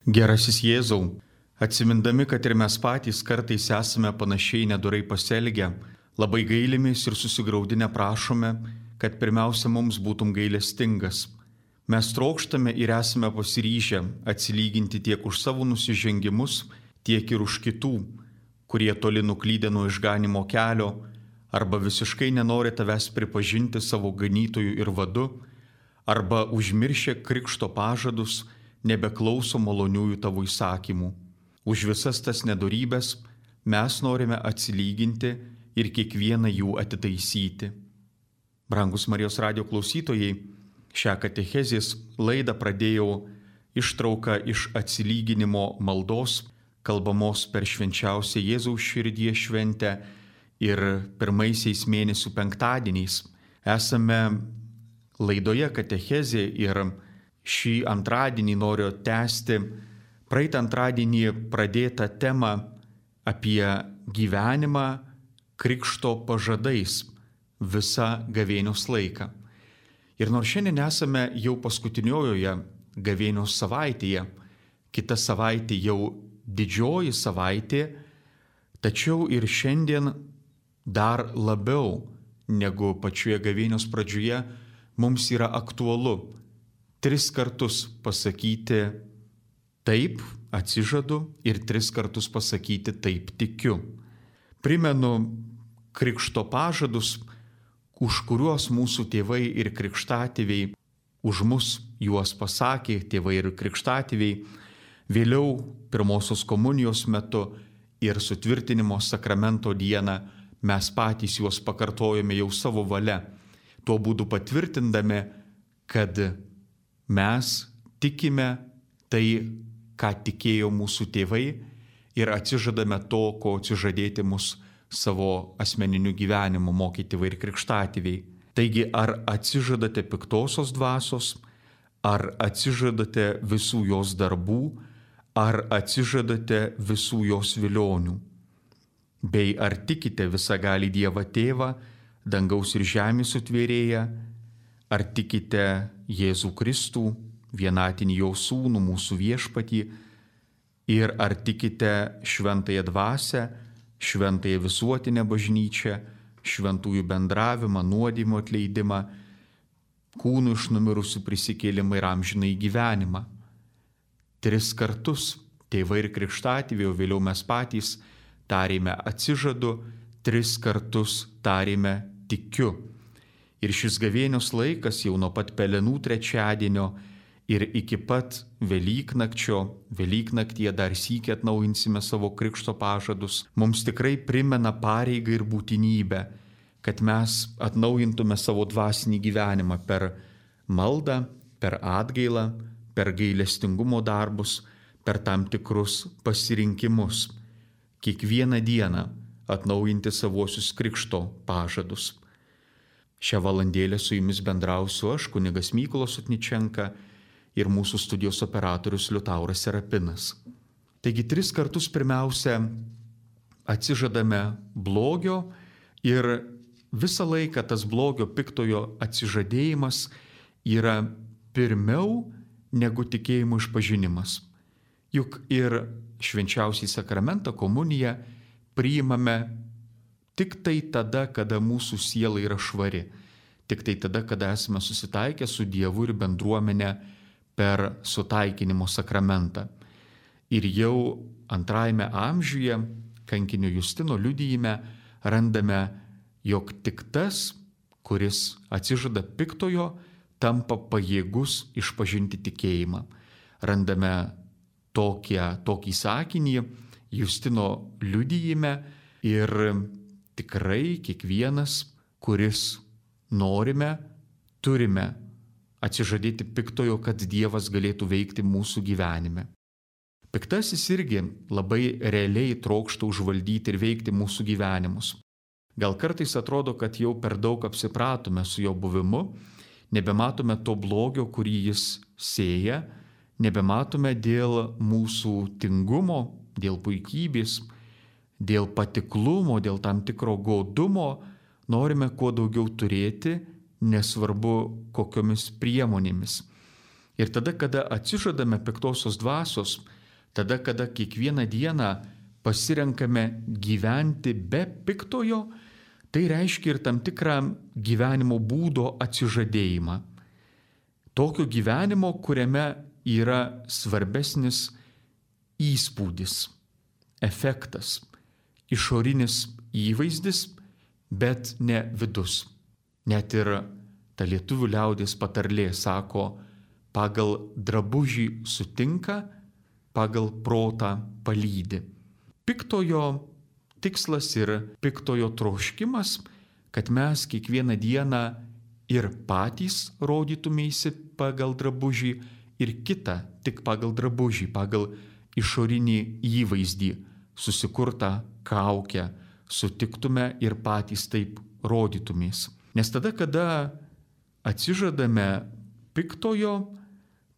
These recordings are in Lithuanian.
Gerasis Jėzau, atsimindami, kad ir mes patys kartais esame panašiai nedorai pasielgę, labai gailimės ir susigraudinę prašome, kad pirmiausia mums būtum gailestingas. Mes trokštame ir esame pasiryžę atsilyginti tiek už savo nusižengimus, tiek ir už kitų, kurie toli nuklydę nuo išganimo kelio arba visiškai nenori tavęs pripažinti savo ganytojų ir vadu, arba užmiršę krikšto pažadus, nebeklauso maloniųjų tavo įsakymų. Už visas tas nedorybes mes norime atsilyginti ir kiekvieną jų atitaisyti. Brangus Marijos radijo klausytojai, šią katechezės laidą pradėjau ištrauką iš atsilyginimo maldos, kalbamos per švenčiausią Jėzaus širdies šventę ir pirmaisiais mėnesių penktadieniais. Esame laidoje katechezė ir šį antradienį noriu tęsti praeitą antradienį pradėtą temą apie gyvenimą krikšto pažadais visą gavėnios laiką. Ir nors šiandien esame jau paskutiniojoje gavėnios savaitėje, kita savaitė jau didžioji savaitė, tačiau ir šiandien dar labiau negu pačioje gavėnios pradžioje mums yra aktualu 3 kartus pasakyti taip, atsižadu, ir 3 kartus pasakyti taip, tikiu. Primenu krikšto pažadus, už kuriuos mūsų tėvai ir krikštatėviai už mus juos pasakė, tėvai ir krikštatėviai, vėliau pirmosios komunijos metu ir sutvirtinimo sakramento dieną mes patys juos pakartojame jau savo valia, tuo būdu patvirtindami, kad mes tikime tai, ką tikėjo mūsų tėvai ir atsižadame to, ko atsižadėti mus savo asmeniniu gyvenimu mokė tėvai ir krikštatėviai. Taigi, ar atsižadate piktosios dvasios, ar atsižadate visų jos darbų, ar atsižadate visų jos vilionių? Bei ar tikite visagalį Dievą Tėvą, dangaus ir žemės sutvėrėją, ar tikite Jėzų Kristų, vienatinį jo sūnų, mūsų viešpatį, ir ar tikite šventąją dvasią, šventąją visuotinę bažnyčią, šventųjų bendravimą, nuodėmių atleidimą, kūnų iš numirusių prisikėlimą ir amžinąjį gyvenimą. 3 kartus tėvai ir krikštatėviai, o vėliau mes patys tarėme atsižadu, 3 kartus tarėme tikiu. Ir šis gavėnios laikas jau nuo pat Pelenų trečiadienio ir iki pat Velyknaktyje dar sykį atnaujinsime savo krikšto pažadus, mums tikrai primena pareigą ir būtinybę, kad mes atnaujintume savo dvasinį gyvenimą per maldą, per atgailą, per gailestingumo darbus, per tam tikrus pasirinkimus. Kiekvieną dieną atnaujinti savuosius krikšto pažadus. Šią valandėlę su jumis bendrausiu aš, kunigas Mykolas Sotničenka, ir mūsų studijos operatorius Liutauras Serapinas. Taigi 3 kartus pirmiausia atsižadame blogio ir visą laiką tas blogio piktojo atsižadėjimas yra pirmiau negu tikėjimo išpažinimas. Juk ir švenčiausiąjį sakramentą, komuniją, priimame tik tai tada, kada mūsų siela yra švari. Tik tai tada, kada esame susitaikę su Dievu ir bendruomenė per sutaikinimo sakramentą. Ir jau 2 amžiuje kankinio Justino liudijime randame, jog tik tas, kuris atsižada piktojo, tampa pajėgus išpažinti tikėjimą. Randame tokį sakinį Justino liudijime ir tikrai kiekvienas, kuris norime, turime atsižadėti piktojo, kad Dievas galėtų veikti mūsų gyvenime. Piktasis irgi labai realiai trokšta užvaldyti ir veikti mūsų gyvenimus. Gal kartais atrodo, kad jau per daug apsipratome su jo buvimu, nebematome to blogio, kurį jis sėja, nebematome dėl mūsų tingumo, dėl puikybės, dėl patiklumo, dėl tam tikro godumo, norime kuo daugiau turėti, nesvarbu kokiomis priemonėmis. Ir tada, kada atsižadame piktosios dvasios, tada, kada kiekvieną dieną pasirenkame gyventi be piktojo, tai reiškia ir tam tikrą gyvenimo būdo atsižadėjimą. Tokio gyvenimo, kuriame yra svarbesnis įspūdis, efektas, išorinis įvaizdis, bet ne vidus. Net ir ta lietuvių liaudies patarlė sako, pagal drabužį sutinka, pagal protą palydi. Piktojo tikslas ir piktojo troškimas, kad mes kiekvieną dieną ir patys rodytumėsi pagal drabužį ir kitą tik pagal drabužį, pagal išorinį įvaizdį, susikurtą kaukę, sutiktume ir patys taip rodytumės. Nes tada, kada atsižadame piktojo,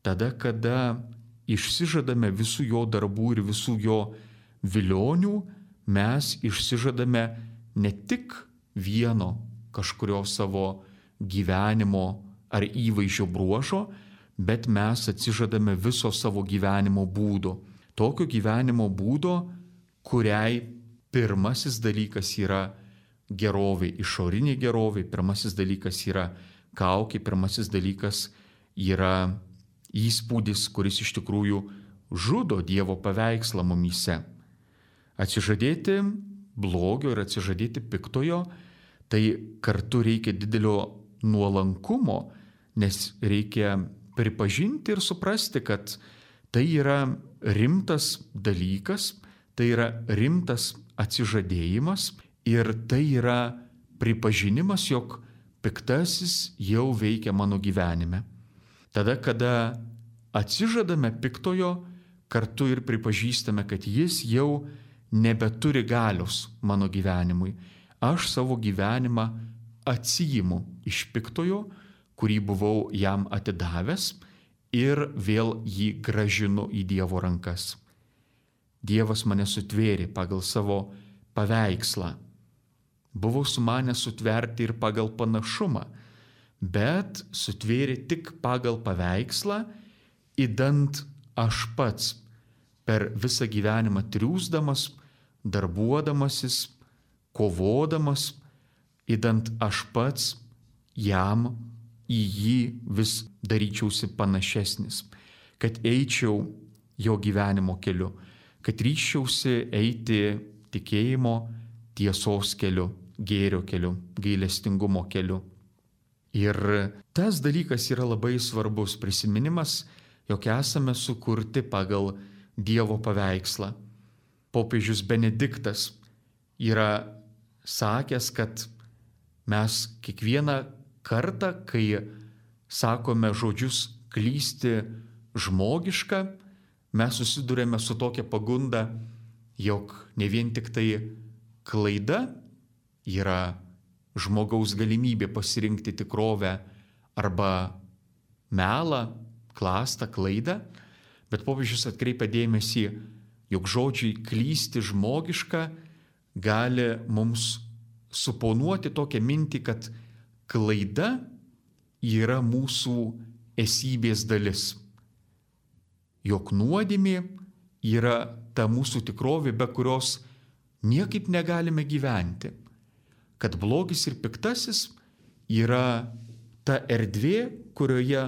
tada, kada išsižadame visų jo darbų ir visų jo vilionių, mes išsižadame ne tik vieno kažkurio savo gyvenimo ar įvaizdžio bruožo, bet mes atsižadame viso savo gyvenimo būdo. Tokio gyvenimo būdo, kuriai pirmasis dalykas yra gerovė, išorinė gerovė, pirmasis dalykas yra kaukė, pirmasis dalykas yra įspūdis, kuris iš tikrųjų žudo Dievo paveikslą mumyse. Atsižadėti blogio ir atsižadėti piktojo, tai kartu reikia didelio nuolankumo, nes reikia pripažinti ir suprasti, kad tai yra rimtas dalykas, tai yra rimtas atsižadėjimas ir tai yra pripažinimas, jog piktasis jau veikia mano gyvenime. Tada, kada atsižadame piktojo, kartu ir pripažįstame, kad jis jau nebeturi galios mano gyvenimui. Aš savo gyvenimą atsiimu iš piktojo, kurį buvau jam atidavęs ir vėl jį gražinu į Dievo rankas. Dievas mane sutvėrė pagal savo paveikslą. Buvo sumanęs sutverti ir pagal panašumą, bet sutvėrė tik pagal paveikslą, idant aš pats per visą gyvenimą triūsdamas, darbuodamasis, kovodamas, idant aš pats jam į jį vis daryčiausi panašesnis, kad eičiau jo gyvenimo keliu, kad ryžčiausi eiti tikėjimo, tiesos keliu, gėrio keliu, gailestingumo keliu. Ir tas dalykas yra labai svarbus prisiminimas, jog esame sukurti pagal Dievo paveikslą. Popiežius Benediktas yra sakęs, kad mes kiekvieną kartą, kai sakome žodžius klysti žmogiška, mes susidurėme su tokia pagunda, jog ne vien tik tai klaida yra žmogaus galimybė pasirinkti tikrovę arba melą, klastą, klaidą, bet popiežius atkreipia dėmesį, jog žodžiai klysti žmogiška gali mums suponuoti tokią mintį, kad klaida yra mūsų esybės dalis. Jog nuodėmė yra ta mūsų tikrovė, be kurios niekaip negalime gyventi. Kad blogis ir piktasis yra ta erdvė, kurioje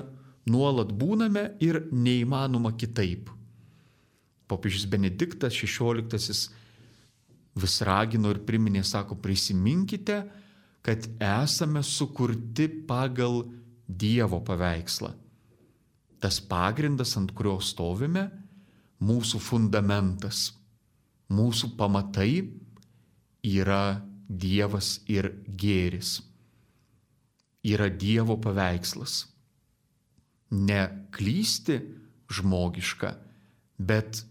nuolat būname ir neįmanoma kitaip. Popiežius Benediktas XVI vis ragino ir priminė, sako, prisiminkite, kad esame sukurti pagal Dievo paveikslą. Tas pagrindas, ant kurio stovime, mūsų fundamentas, mūsų pamatai yra Dievas ir gėris. Yra Dievo paveikslas. Ne klysti žmogiška, bet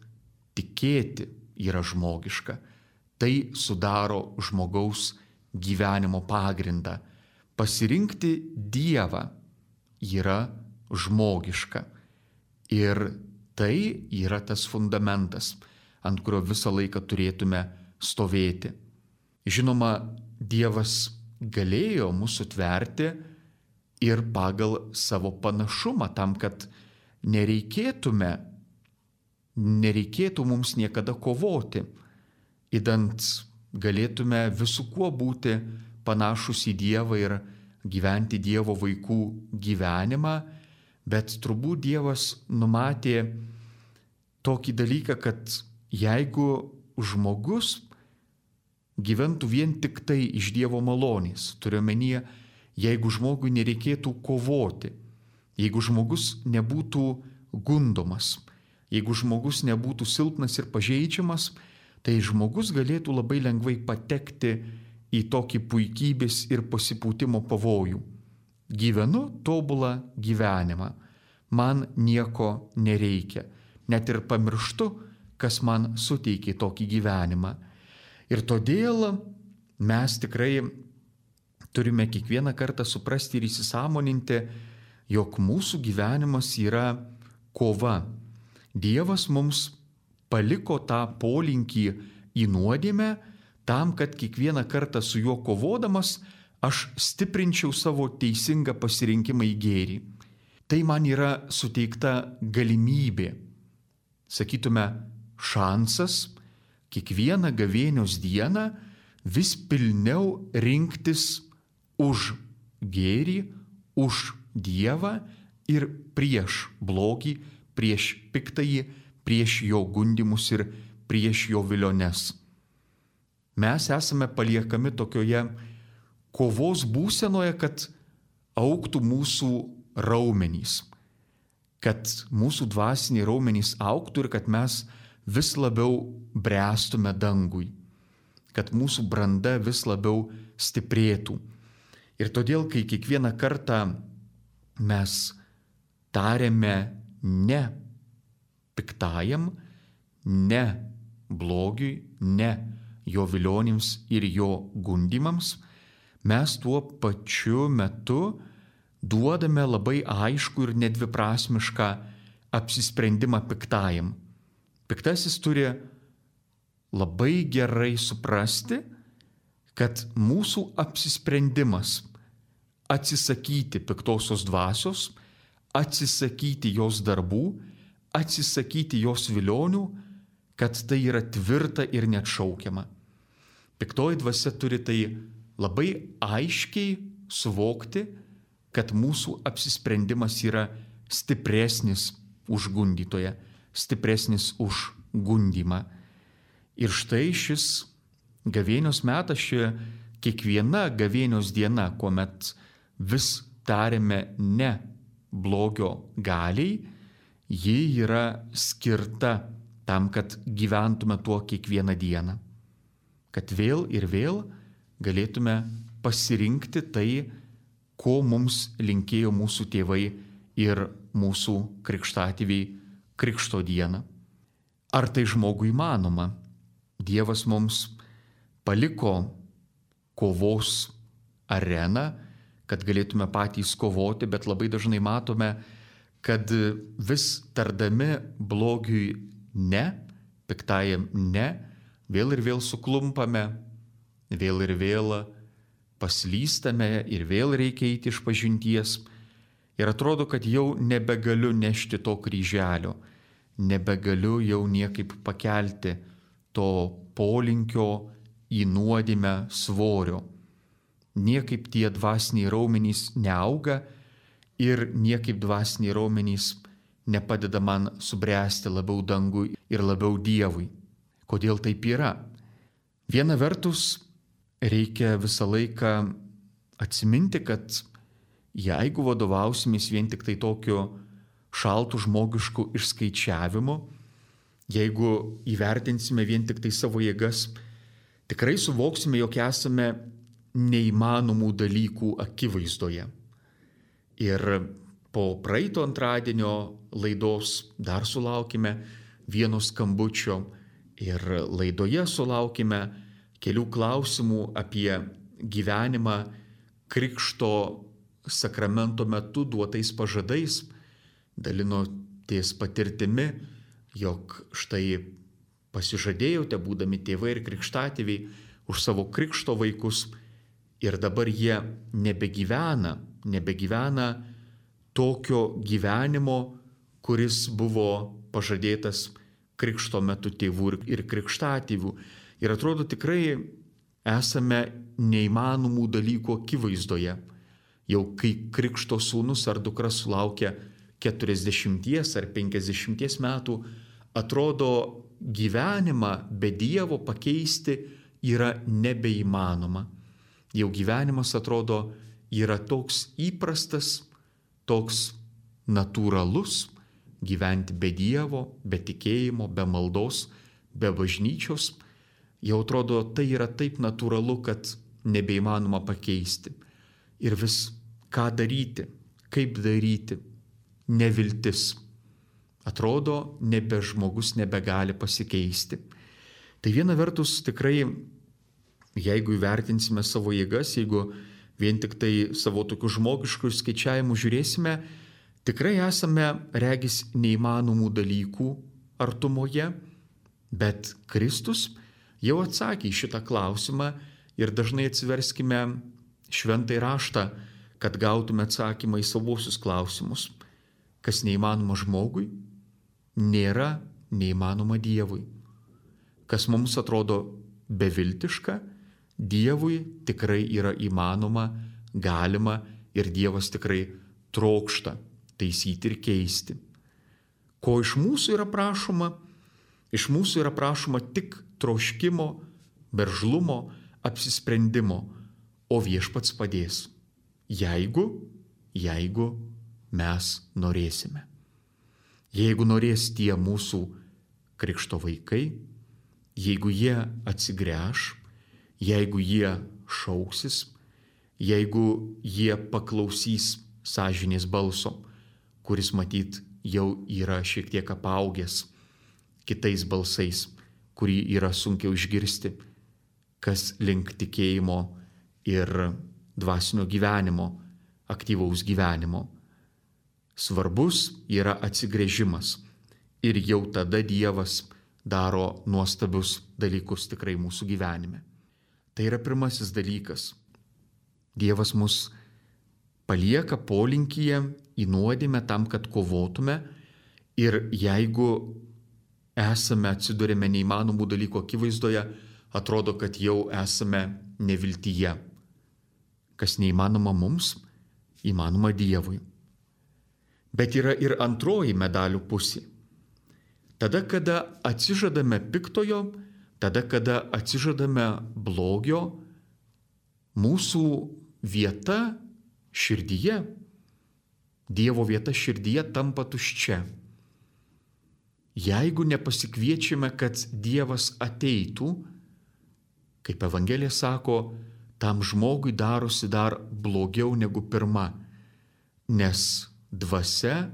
tikėti yra žmogiška. Tai sudaro žmogaus gyvenimo pagrindą. Pasirinkti Dievą yra žmogiška. Ir tai yra tas fundamentas, ant kurio visą laiką turėtume stovėti. Žinoma, Dievas galėjo mūsų tverti ir pagal savo panašumą, tam, kad nereikėtume nereikėtų mums niekada kovoti, idant galėtume visų kuo būti panašus į Dievą ir gyventi Dievo vaikų gyvenimą, bet turbūt Dievas numatė tokį dalyką, kad jeigu žmogus gyventų vien tik tai iš Dievo malonės, turiu omenyje, jeigu žmogui nereikėtų kovoti, jeigu žmogus nebūtų gundomas, jeigu žmogus nebūtų silpnas ir pažeidžiamas, tai žmogus galėtų labai lengvai patekti į tokį puikybės ir pasipūtimo pavojų. Gyvenu tobulą gyvenimą, man nieko nereikia, net ir pamirštu, kas man suteikė tokį gyvenimą. Ir todėl mes tikrai turime kiekvieną kartą suprasti ir įsisąmoninti, jog mūsų gyvenimas yra kova. Dievas mums paliko tą polinkį į nuodėmę tam, kad kiekvieną kartą su juo kovodamas aš stiprinčiau savo teisingą pasirinkimą į gėrį. Tai man yra suteikta galimybė, sakytume, šansas kiekvieną gavėnios dieną vis pilniau rinktis už gėrį, už Dievą ir prieš blogį, prieš piktąjį, prieš jo gundymus ir prieš jo viliones. Mes esame paliekami tokioje kovos būsenoje, kad augtų mūsų raumenys, kad mūsų dvasiniai raumenys augtų ir kad mes vis labiau bręstume dangui, kad mūsų branda vis labiau stiprėtų. Ir todėl, kai kiekvieną kartą mes tariame ne piktajam, ne blogiui, ne jo vilionims ir jo gundymams, mes tuo pačiu metu duodame labai aišku ir nedviprasmišką apsisprendimą piktajam. Piktasis turi labai gerai suprasti, kad mūsų apsisprendimas atsisakyti piktosios dvasios, atsisakyti jos darbų, atsisakyti jos vilionių, kad tai yra tvirta ir neatšaukiama. Piktoji dvasia turi tai labai aiškiai suvokti, kad mūsų apsisprendimas yra stipresnis už gundytoją, stipresnis už gundymą. Ir štai šis gavėnios metas, ši kiekviena gavėnios diena, kuomet vis tariame ne blogio galiai, ji yra skirta tam, kad gyventume tuo kiekvieną dieną. Kad vėl ir vėl galėtume pasirinkti tai, ko mums linkėjo mūsų tėvai ir mūsų krikštatėviai Krikšto dieną. Ar tai žmogui įmanoma? Dievas mums paliko kovos areną, kad galėtume patys kovoti, bet labai dažnai matome, kad vis tardami blogiui ne, piktajam ne, vėl ir vėl suklumpame, vėl ir vėl paslystame ir vėl reikia eiti iš pažinties. Ir atrodo, kad jau nebegaliu nešti to kryželio, nebegaliu jau niekaip pakelti to polinkio į nuodėmę svorio. Niekaip tie dvasiniai raumenys neauga ir niekaip dvasiniai raumenys nepadeda man subręsti labiau dangui ir labiau Dievui. Kodėl taip yra? Viena vertus, reikia visą laiką atsiminti, kad jeigu vadovausimės vien tik tai tokiu šaltų žmogišku išskaičiavimu, jeigu įvertinsime vien tik tai savo jėgas, tikrai suvoksime, jog esame neįmanomų dalykų akivaizdoje. Ir po praeito antradienio laidos dar sulaukime vieno skambučio ir laidoje sulaukime kelių klausimų apie gyvenimą Krikšto sakramento metu duotais pažadais, dalinotės patirtimi, jog štai pasižadėjote, būdami tėvai ir krikštatėviai, už savo krikšto vaikus ir dabar jie nebegyvena tokio gyvenimo, kuris buvo pažadėtas krikšto metu tėvų ir krikštatėvių. Ir atrodo tikrai esame neįmanomų dalykų akivaizdoje. Jau kai krikšto sūnus ar dukra sulaukia 40 ar 50 metų, atrodo gyvenimą be Dievo pakeisti yra nebeįmanoma. Jau gyvenimas atrodo yra toks įprastas, toks natūralus, gyventi be Dievo, be tikėjimo, be maldos, be bažnyčios. Jau atrodo tai yra taip natūralu, kad nebeįmanoma pakeisti. Ir vis ką daryti, kaip daryti, neviltis. Atrodo, nebe žmogus nebegali pasikeisti. Tai viena vertus tikrai, jeigu įvertinsime savo jėgas, jeigu vien tik tai savo tokių žmogiškų skaičiavimų žiūrėsime, tikrai esame regis neįmanomų dalykų artumoje, bet Kristus jau atsakė į šitą klausimą ir dažnai atsiverskime šventąjį raštą, kad gautume atsakymą į savuosius klausimus. Kas neįmanoma žmogui, nėra neįmanoma Dievui. Kas mums atrodo beviltiška, Dievui tikrai yra įmanoma, galima ir Dievas tikrai trokšta taisyti ir keisti. Ko iš mūsų yra prašoma? Iš mūsų yra prašoma tik troškimo, veržlumo, apsisprendimo, o Viešpats padės, jeigu mes norėsime. Jeigu norės tie mūsų krikšto vaikai, jeigu jie atsigręš, jeigu jie šauksis, jeigu jie paklausys sąžinės balso, kuris matyt jau yra šiek tiek apaugęs kitais balsais, kurį yra sunkiau išgirsti, kas link tikėjimo ir dvasinio gyvenimo, aktyvaus gyvenimo. Svarbus yra atsigręžimas ir jau tada Dievas daro nuostabius dalykus tikrai mūsų gyvenime. Tai yra pirmasis dalykas. Dievas mus palieka polinkyje į nuodėmę tam, kad kovotume, ir jeigu atsidurėme neįmanomų dalykų akivaizdoje, atrodo, kad jau esame neviltyje. Kas neįmanoma mums, įmanoma Dievui. Bet yra ir antroji medalių pusė. Tada, kada atsižadame piktojo, tada, kada atsižadame blogio, mūsų vieta širdyje, Dievo vieta širdyje tampa tuščia. Jeigu nepasikviečiame, kad Dievas ateitų, kaip Evangelija sako, tam žmogui darosi dar blogiau negu pirma, nes dvasia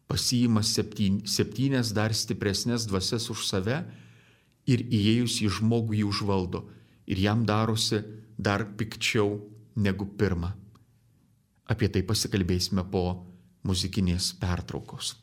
pasiima 7 dar stipresnės dvasias už save ir įėjus į žmogų jį užvaldo ir jam darosi dar pikčiau negu pirma. Apie tai pasikalbėsime po muzikinės pertraukos.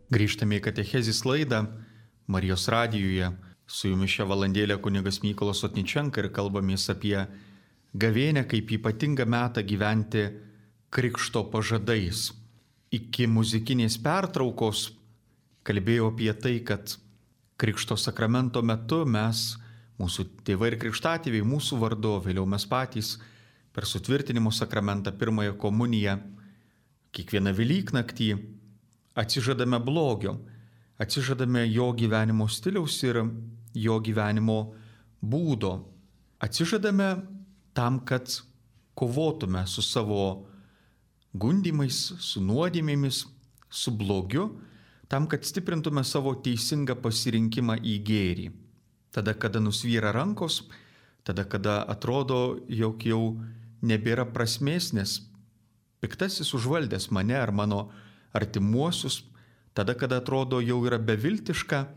Grįžtame į katechezės laidą Marijos radijuje. Su jumis šią valandėlę kunigas Mykolas Sotničenka ir kalbamės apie gavėnią kaip ypatingą metą gyventi krikšto pažadais. Iki muzikinės pertraukos kalbėjau apie tai, kad krikšto sakramento metu mes, mūsų tėvai ir krikštatėviai, mūsų vardu, vėliau mes patys per sutvirtinimo sakramentą, pirmąją komuniją, kiekvieną Velyknaktį atsižadame blogio, atsižadame jo gyvenimo stiliaus ir jo gyvenimo būdo. Atsižadame tam, kad kovotume su savo gundymais, su nuodėmėmis, su blogiu, tam, kad stiprintume savo teisingą pasirinkimą į gėrį. Tada, kada nusvyra rankos, tada, kada atrodo, jog jau nebėra prasmės, nes piktasis užvaldęs mane ar mano artimuosius, tada, kada atrodo jau yra beviltiška,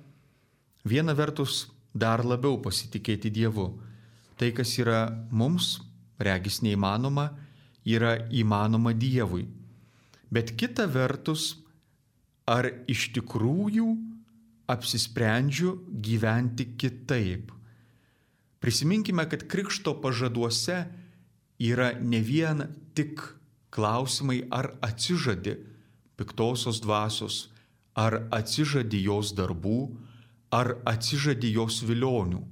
viena vertus dar labiau pasitikėti Dievu. Tai, kas yra mums, regis neįmanoma, yra įmanoma Dievui. Bet kita vertus, ar iš tikrųjų apsisprendžiu gyventi kitaip? Prisiminkime, kad krikšto pažaduose yra ne vien tik klausimai, ar atsižadi piktosios dvasios, ar atsižadi jos darbų, ar atsižadi jos vilionių.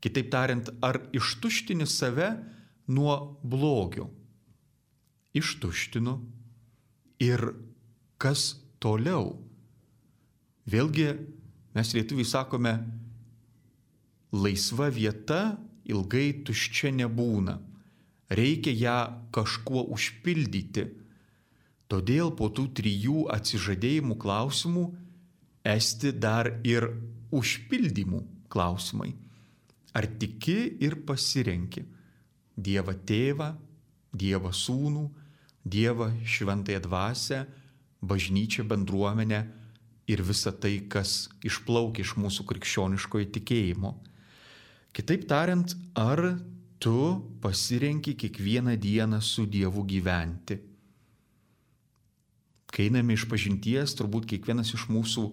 Kitaip tariant, ar ištuštini save nuo blogio. Ištuštinu. Ir kas toliau? Vėlgi, mes lietuviai sakome, laisva vieta ilgai tuščia nebūna. Reikia ją kažkuo užpildyti. Todėl po tų 3 atsižadėjimų klausimų esti dar ir užpildymų klausimai. Ar tiki ir pasirenki Dievą Tėvą, Dievą Sūnų, Dievą Šventąją Dvasią, bažnyčią, bendruomenę ir visą tai, kas išplaukia iš mūsų krikščioniškojo tikėjimo. Kitaip tariant, ar tu pasirenki kiekvieną dieną su Dievu gyventi? Kai einame iš pažinties, turbūt kiekvienas iš mūsų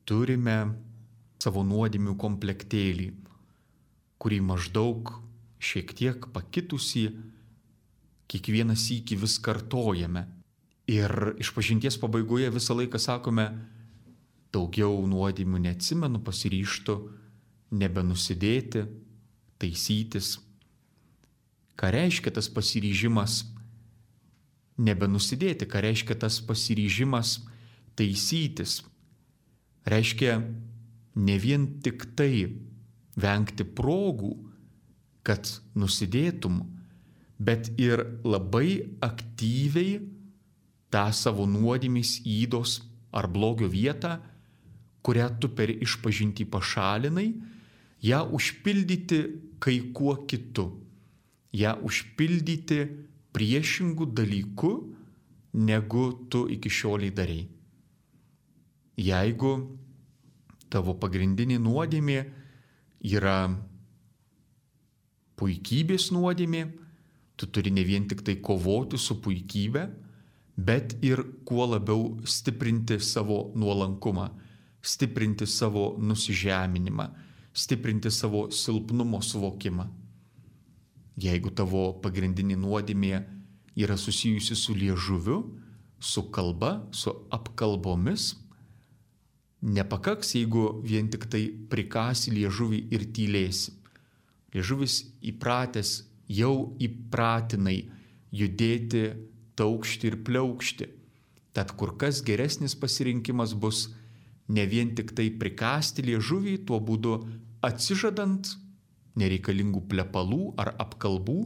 turime savo nuodėmių komplektėlį, kurį maždaug šiek tiek pakitusį kiekvieną sykį vis kartojame. Ir iš pažinties pabaigoje visą laiką sakome, daugiau nuodėmių neatsimenu, pasiryžtu nebenusidėti, taisytis. Ką reiškia tas pasiryžimas nebenusidėti, ką reiškia tas pasiryžimas taisytis? Reiškia ne vien tik tai vengti progų, kad nusidėtum, bet ir labai aktyviai tą savo nuodėmės ydos ar blogio vietą, kurią tu per išpažintį pašalinai, ją užpildyti kai kuo kitu, ją užpildyti priešingų dalykų, negu tu iki šioliai darei. Jeigu tavo pagrindinė nuodėmė yra puikybės nuodėmė, tu turi ne vien tik tai kovoti su puikybė, bet ir kuo labiau stiprinti savo nuolankumą, stiprinti savo nusižeminimą, stiprinti savo silpnumo suvokimą. Jeigu tavo pagrindinė nuodėmė yra susijusi su liežuviu, su kalba, su apkalbomis, nepakaks, jeigu vien tik tai prikasi liežuvį ir tylėsi. Liežuvis įpratęs, jau įpratinai judėti, taukšti ir pliaukšti. Tad kur kas geresnis pasirinkimas bus ne vien tik tai prikasti liežuvį, tuo būdu atsižadant nereikalingų plepalų ar apkalbų,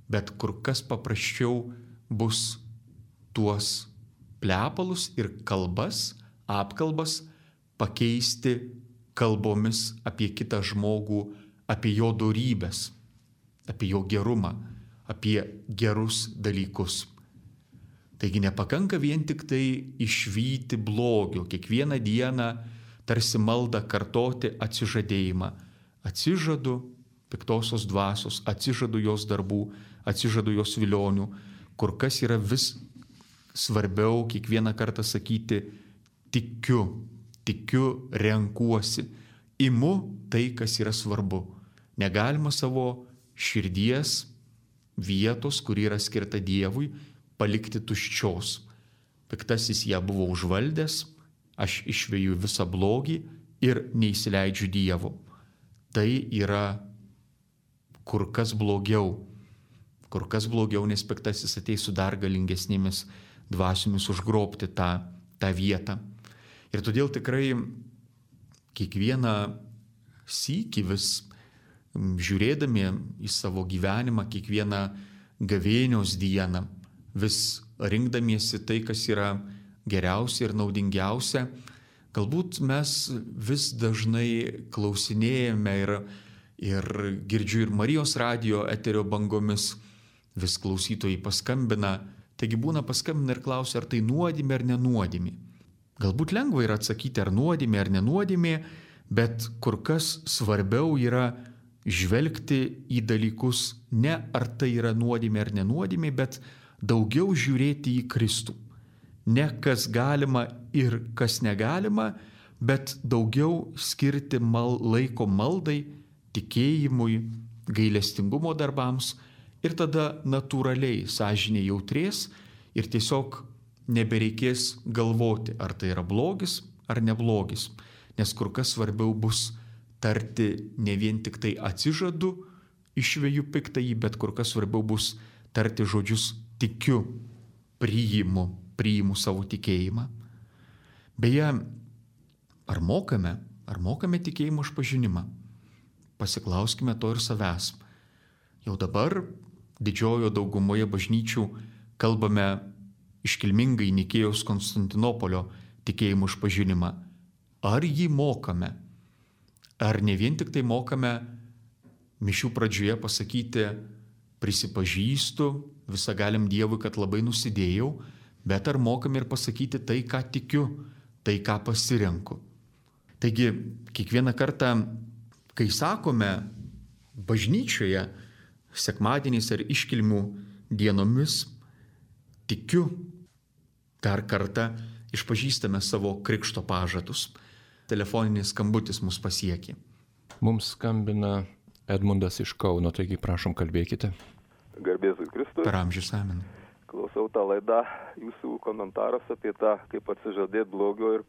bet kur kas paprasčiau bus tuos plepalus ir kalbas, apkalbas pakeisti kalbomis apie kitą žmogų, apie jo dorybes, apie jo gerumą, apie gerus dalykus. Taigi nepakanka vien tik tai išvyti blogio, kiekvieną dieną tarsi maldą kartoti atsižadėjimą. Atsižadu piktosios dvasios, atsižadu jos darbų, atsižadu jos vilionių, kur kas yra vis svarbiau kiekvieną kartą sakyti tikiu, renkuosi, imu tai, kas yra svarbu. Negalima savo širdies vietos, kuri yra skirta Dievui, palikti tuščios. Piktasis ją buvo užvaldęs, aš išveju visą blogį ir neįsileidžiu Dievo. Tai yra kur kas blogiau, nes piktasis ateis su dar galingesnėmis dvasiomis užgrobti tą vietą. Ir todėl tikrai kiekvieną sykį vis žiūrėdami į savo gyvenimą, kiekvieną gavėnios dieną, vis rinkdamiesi tai, kas yra geriausia ir naudingiausia, galbūt mes vis dažnai klausinėjame ir girdžiu ir Marijos radijo eterio bangomis, vis klausytojai paskambina, taigi būna paskambina ir klausia, ar tai nuodėmė ar nenuodėmė. Galbūt lengva yra atsakyti, ar nuodėmė ar nenuodėmė, bet kur kas svarbiau yra žvelgti į dalykus ne ar tai yra nuodėmė ar nenuodėmė, bet daugiau žiūrėti į Kristų. Ne kas galima ir kas negalima, bet daugiau skirti laiko maldai, tikėjimui, gailestingumo darbams ir tada natūraliai sąžinė jautrės ir tiesiog nebereikės galvoti, ar tai yra blogis ar neblogis, nes kur kas svarbiau bus tarti ne vien tik tai atsižadu, išveju piktąjį, bet kur kas svarbiau bus tarti žodžius tikiu, priimu savo tikėjimą. Beje, ar mokame tikėjimo išpažinimą? Pasiklauskime to ir savęs. Jau dabar didžiojo daugumoje bažnyčių kalbame iškilmingai Nikėjos Konstantinopolio tikėjimo išpažinimą. Ar jį mokame? Ar ne vien tik tai mokame mišių pradžioje pasakyti prisipažįstu visagaliam Dievui, kad labai nusidėjau, bet ar mokame ir pasakyti tai, ką tikiu, tai, ką pasirenku. Taigi, kiekvieną kartą, kai sakome bažnyčioje, sekmadieniais ar iškilmių dienomis, tikiu, dar kartą išpažįstame savo krikšto pažadus. Telefoninis skambutis mus pasiekė. Mums skambina Edmundas iš Kauno, taigi prašom kalbėkite. Garbėzui Kristui. Per amžius amen. Klausau tą laidą, jūsų komentaras apie tą, kaip atsižadėti blogio ir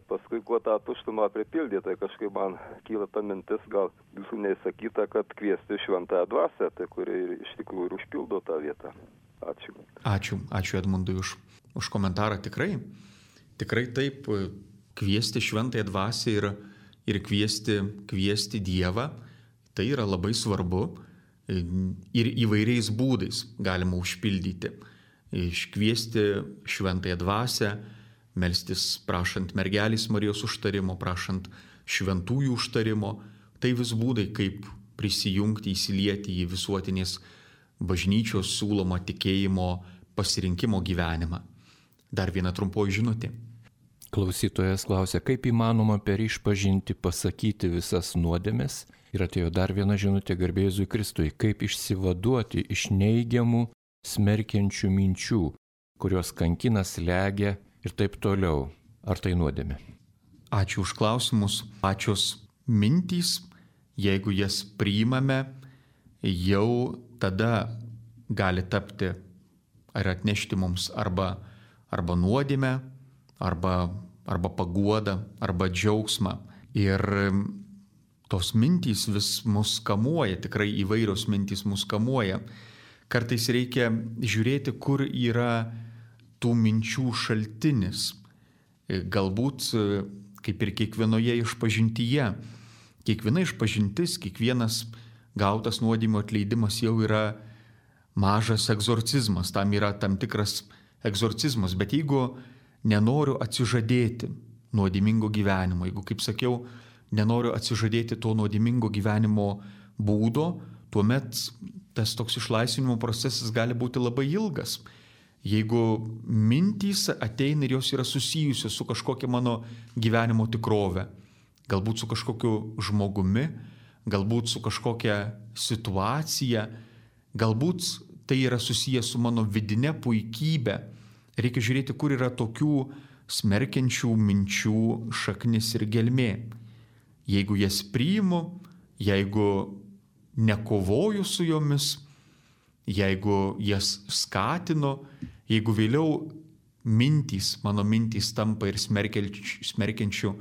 paskui kuo tą tuštumą pripildyti. Tai kažkaip man kyla ta mintis, gal jūsų neįsakyta, kad kviesti šventąją dvasią, tai kuri iš tikrųjų ir užpildo tą vietą. Ačiū. Ačiū Edmundui už komentarą. Tikrai taip, kviesti šventąją dvasią ir kviesti Dievą, tai yra labai svarbu ir įvairiais būdais galima užpildyti. Iškviesti šventąją dvasią, melstis prašant mergelės Marijos užtarimo, prašant šventųjų užtarimo, tai vis būdai, kaip prisijungti, įsilieti į visuotinės bažnyčios siūlomą tikėjimo pasirinkimo gyvenimą. Dar viena trumpoji žinutė. Klausytojas klausia, kaip įmanoma per išpažinti pasakyti visas nuodėmes? Ir atėjo dar viena žinutė garbėzui Kristui, kaip išsivaduoti iš neigiamų, smerkiančių minčių, kurios kankina, slegia ir taip toliau. Ar tai nuodėmė? Ačiū už klausimus. Pačios mintys, jeigu jas priimame, jau tada gali tapti ar atnešti mums arba nuodėmę, arba paguodą, arba džiaugsmą. Ir tos mintys vis mus kamuoja, tikrai įvairios mintys mus kamuoja. Kartais reikia žiūrėti, kur yra tų minčių šaltinis. Galbūt, kaip ir kiekvienoje išpažintyje, kiekviena išpažintis, kiekvienas gautas nuodėmių atleidimas jau yra mažas egzorcizmas, tam yra tam tikras egzorcizmas. Bet jeigu nenoriu atsižadėti nuodėmingo gyvenimo, jeigu, kaip sakiau, nenoriu atsižadėti to nuodėmingo gyvenimo būdo, tuomet tas toks išlaisvinimo procesas gali būti labai ilgas. Jeigu mintys ateina ir jos yra susijusios su kažkokia mano gyvenimo tikrove, galbūt su kažkokiu žmogumi, galbūt su kažkokia situacija, galbūt tai yra susijęs su mano vidine puikybė. Reikia žiūrėti, kur yra tokių smerkiančių minčių šaknis ir gelmė. Jeigu jas priimu, jeigu nekovoju su jomis, jeigu jas skatinu, jeigu vėliau mano mintys tampa ir smerkiančių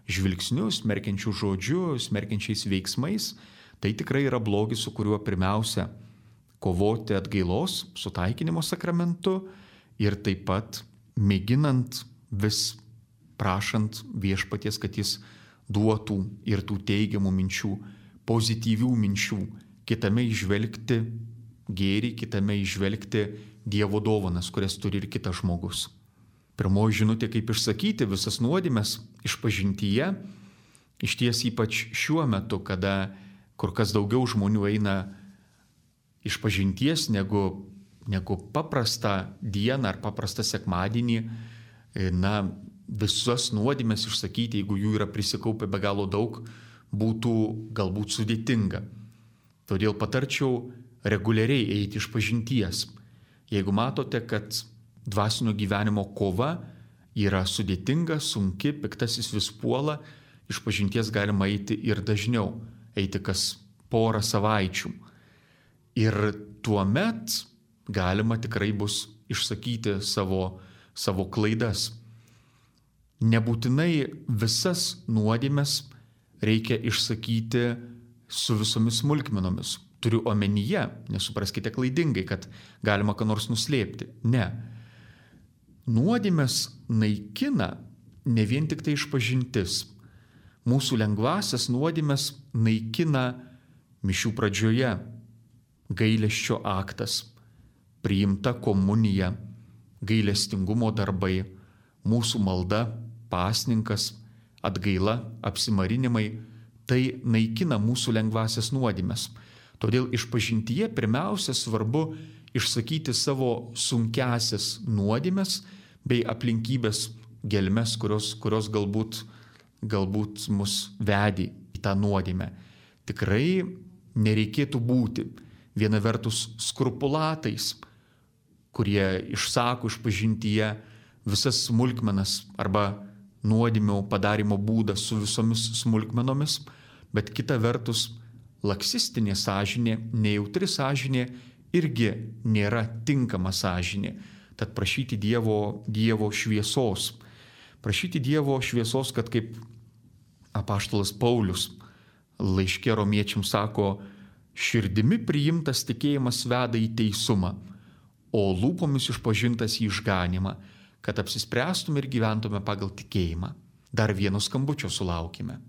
žvilgsniu, smerkiančių žodžiu, smerkiančiais veiksmais, tai tikrai yra blogis, su kuriuo pirmiausia kovoti atgailos, sutaikinimo sakramentu ir taip pat mėginant vis prašant viešpaties, kad jis duotų ir tų teigiamų minčių, pozityvių minčių, kitame įžvelgti gėrį, kitame įžvelgti Dievo dovanas, kurias turi ir kitas žmogus. Pirmoji žinutė, kaip išsakyti visas nuodėmes išpažintyje, išties ypač šiuo metu, kada kur kas daugiau žmonių eina išpažinties negu paprastą dieną ar paprastą sekmadienį, visas nuodėmes išsakyti, jeigu jų yra prisikaupę be galo daug, būtų galbūt sudėtinga. Todėl patarčiau reguliariai eiti išpažinties. Jeigu matote, kad dvasinio gyvenimo kova yra sudėtinga, sunki, piktasis vis puola, išpažinties galima eiti ir dažniau, eiti kas porą savaičių. Ir tuomet galima tikrai bus išsakyti savo klaidas. Nebūtinai visas nuodėmes reikia išsakyti su visomis smulkmenomis. Turiu omenyje, nesupraskite klaidingai, kad galima ką nors nuslėpti. Ne. Nuodėmes naikina ne vien tik tai išpažintis. Mūsų lengvasias nuodėmes naikina mišių pradžioje gailesčio aktas, priimta komunija, gailestingumo darbai, mūsų malda, pasninkas, atgaila, apsimarinimai. Tai naikina mūsų lengvasias nuodėmes. Todėl išpažintyje pirmiausia svarbu išsakyti savo sunkiasias nuodėmes bei aplinkybės gelmes, kurios galbūt mus vedė į tą nuodėmę. Tikrai nereikėtų būti viena vertus skrupulatais, kurie išsako išpažintyje visas smulkmenas arba nuodėmių padarimo būdą su visomis smulkmenomis, bet kita vertus laksistinė sąžinė, nejautri sąžinė irgi nėra tinkama sąžinė. Tad prašyti Dievo šviesos. Prašyti Dievo šviesos, kad kaip apaštalas Paulius laiške romiečiams sako, širdimi priimtas tikėjimas veda į teisumą, o lūpomis išpažintas į išganimą, kad apsispręstume ir gyventume pagal tikėjimą. Dar vieno skambučio sulaukime.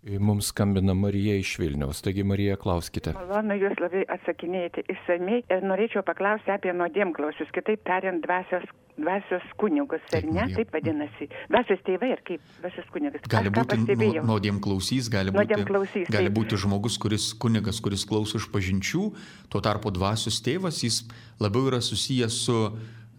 Mums skambina Marija iš Vilniaus. Taigi, Marija, klauskite. Malonu jūs labai atsakinėjate išsamei ir norėčiau paklausti apie nuodėmklausius, kitaip tariant, dvasios kunigus, ar ne? Taip vadinasi. Dvasios tėvai ir kaip dvasios kunigas. Gali būti nuodėmklausys, gali būti žmogus, kunigas, kuris klauso išpažinčių, tuo tarpu dvasios tėvas, jis labiau yra susijęs su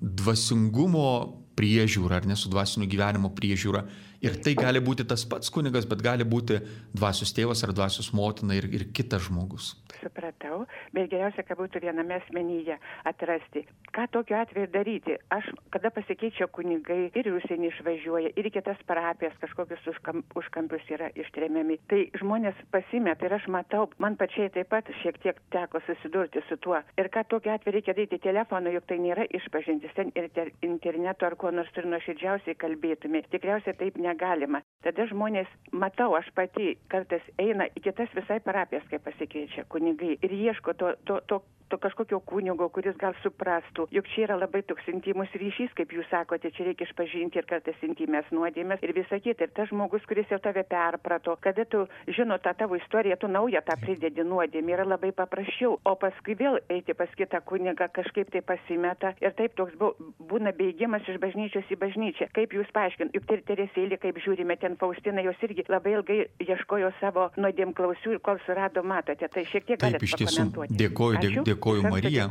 dvasingumo priežiūra, ar ne su dvasinio gyvenimo priežiūra. Ir tai gali būti tas pats kunigas, bet gali būti dvasios tėvas ar dvasios motina ir kitas žmogus. Supratau, bet geriausia, kad būtų viename asmenyje atrasti. Ką tokiu atveju daryti? Aš, kada pasikeičia kunigai ir į užsienį išvažiuoja, ir į kitas parapijas, kažkokius užkampius yra ištremiami, tai žmonės pasimeta ir aš matau, man pačiai taip pat šiek tiek teko susidurti su tuo. Ir ką tokiu atveju reikia daryti telefonu, juk tai nėra išpažintis, ten ir interneto ar kuo nors turi nuoširdžiausiai kalbėtume. Tikriausiai taip negalima. Tada žmonės, matau, aš pati kartais eina į kitas visai parapijas, kai pasikeičia kunigai ir ieško to kažkokio kunigo, kuris gal suprastų, juk čia yra labai toks intimus ryšys, kaip jūs sakote, čia reikia išpažinti ir kartais intimės nuodėmės ir visą kitą. Ir tas žmogus, kuris jau tave perprato, kada tu žino tą tavo istoriją, tu naują tą pridedi nuodėmę, yra labai paprasčiau. O paskui vėl eiti pas kitą kunigą, kažkaip tai pasimeta ir taip toks būna bėgimas iš bažnyčios į bažnyčią. Kaip jūs paaiškint, juk Teresėlė, kaip žiūrime, ten Faustina, jos irgi labai ilgai ieškojo savo nuodėmklausių ir kol surado, matote, tai šiek tiek galite pakomentuoti. Dėkoju, Marija.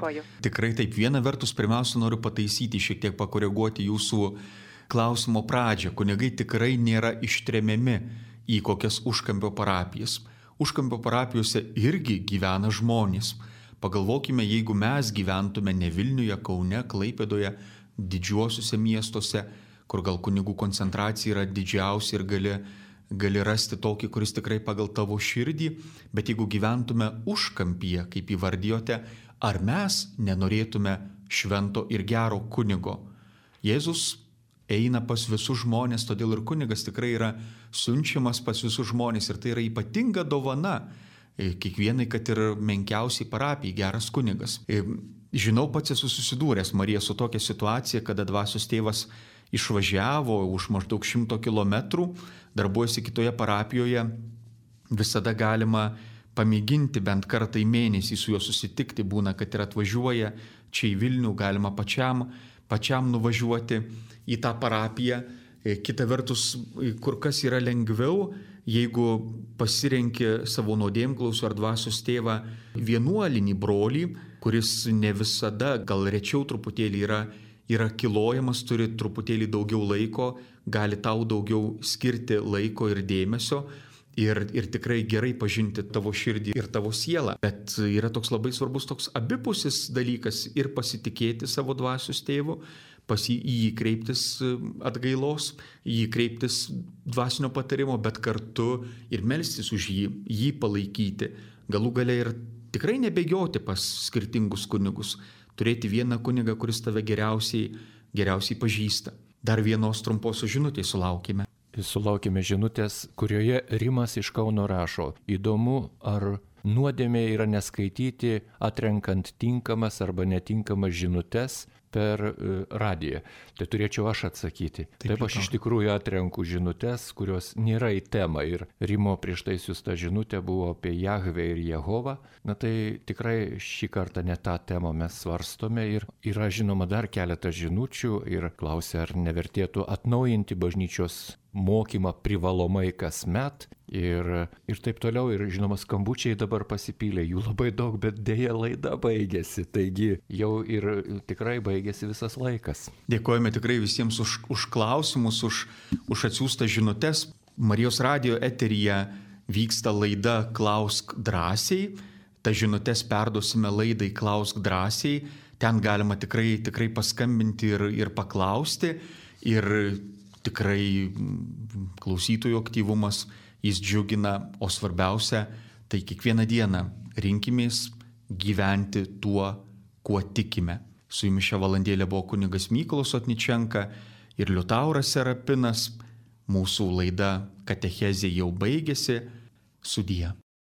Tikrai taip, viena vertus, pirmiausia, noriu pataisyti, šiek tiek pakoreguoti jūsų klausimo pradžią. Kunigai tikrai nėra ištremiami į kokias užkampio parapijas. Užkampio parapijose irgi gyvena žmonės. Pagalvokime, jeigu mes gyventume ne Vilniuje, Kaune, Klaipėdoje, didžiuosiuose miestuose, kur gal kunigų koncentracija yra didžiausia ir gali rasti tokį, kuris tikrai pagal tavo širdį, bet jeigu gyventume užkampyje, kaip įvardijote, ar mes nenorėtume švento ir gero kunigo? Jėzus eina pas visus žmonės, todėl ir kunigas tikrai yra siunčiamas pas visus žmonės ir tai yra ypatinga dovana kiekvienai, kad ir menkiausiai parapijai geras kunigas. Žinau, pats esu susidūręs, Marija, su tokia situacija, kada dvasios tėvas išvažiavo už maždaug 100 kilometrų, darbuojasi kitoje parapijoje, visada galima pamėginti bent kartą į mėnesį su juo susitikti, būna, kad ir atvažiuoja čia į Vilnių, galima pačiam nuvažiuoti į tą parapiją. Kita vertus, kur kas yra lengviau, jeigu pasirenki savo nuodėmklausų ar dvasios tėvą vienuolinį brolį, kuris ne visada, gal rečiau truputėlį yra kilojamas, turi truputėlį daugiau laiko, gali tau daugiau skirti laiko ir dėmesio ir tikrai gerai pažinti tavo širdį ir tavo sielą. Bet yra toks labai svarbus toks abipusis dalykas ir pasitikėti savo dvasios tėvu, į jį kreiptis atgailos, į jį kreiptis dvasinio patarimo, bet kartu ir melstis už jį palaikyti. Galų gale ir tikrai nebėgioti pas skirtingus kunigus, turėti vieną kunigą, kuris tave geriausiai pažįsta. Dar vienos trumposios žinutės sulaukime. Sulaukime žinutės, kurioje Rimas iš Kauno rašo: įdomu, ar nuodėmė yra neskaityti, atrenkant tinkamas arba netinkamas žinutes per radiją. Tai turėčiau aš atsakyti. Taip aš iš tikrųjų atrenku žinutes, kurios nėra į temą. Ir Rimo prieš tai siųsta žinutė buvo apie Jahvę ir Jehovą. Na tai tikrai šį kartą ne tą temą mes svarstome. Ir yra žinoma dar keletą žinučių ir klausia, ar nevertėtų atnaujinti bažnyčios mokymą privalomai kasmet ir taip toliau. Ir žinoma, skambučiai dabar pasipylė, jų labai daug, bet dėja laida baigėsi. Taigi jau ir tikrai baigėsi visas laikas. Dėkojame tikrai visiems už klausimus, už atsiųstas žinutes. Marijos radijo eteryje vyksta laida Klausk drąsiai. Ta žinutes perduosime laidai Klausk drąsiai. Ten galima tikrai paskambinti ir paklausti. Ir tikrai klausytojų aktyvumas, jis džiugina, o svarbiausia, tai kiekvieną dieną rinkimės gyventi tuo, kuo tikime. Su jumis šią valandėlę buvo kunigas Mykolas Otničenka ir Liutauras Serapinas. Mūsų laida Katechezė jau baigėsi. Sudie.